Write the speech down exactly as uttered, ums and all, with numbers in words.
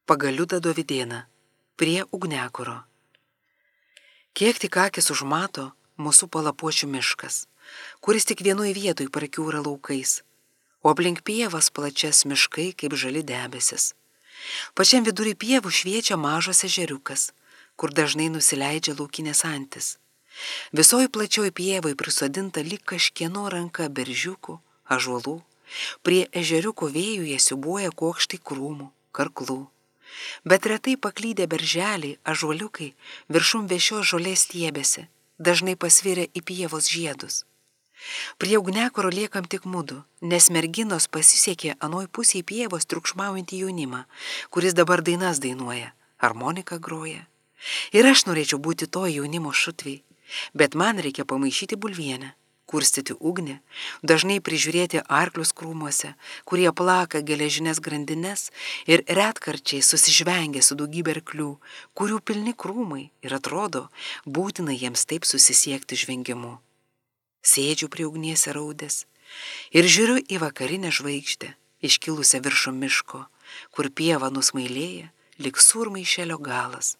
Pagaliuda Dovydėna, prie Ugniakuro. Kiek tik akis užmato, mūsų palapuočių miškas, kuris tik vienoj vietoj prakiūra laukais, o aplink pievas plačias miškai kaip žali debesis. Pačiam vidury pievų šviečia mažas ežeriukas, kur dažnai nusileidžia laukinės antis. Visoj plačioj pievai prisodinta lyg kažkieno ranka beržiukų, ąžuolų, prie ežeriuko vėjų jie siūbuoja kuokštai krūmų, karklų. Bet retai paklydę berželiai, ąžuoliukai viršum vėšios žolės stiebėsi, dažnai pasvirę į pievos žiedus. Prie Ugniakuro liekam tik mudu, nes merginos pasisekė anoj pusėj pievos triukšmaujantį jaunimą, kuris dabar dainas dainuoja, harmoniką groja. Ir aš norėčiau būti to jaunimo šutvei, bet man reikia pamaišyti bulvienę, kurstyti ugnį, dažnai prižiūrėti arklius krūmuose, kurie plaka geležinės grandines ir retkarčiai susižvengia su daugybė arklių, kurių pilni krūmai ir atrodo, būtina jiems taip susisiekti žvengimu. Sėdžiu prie ugnies raudės ir žiūriu į vakarinę žvaigždę, iškilusią viršum miško, kur pieva nusmailėja, lyg surmaišelio galas.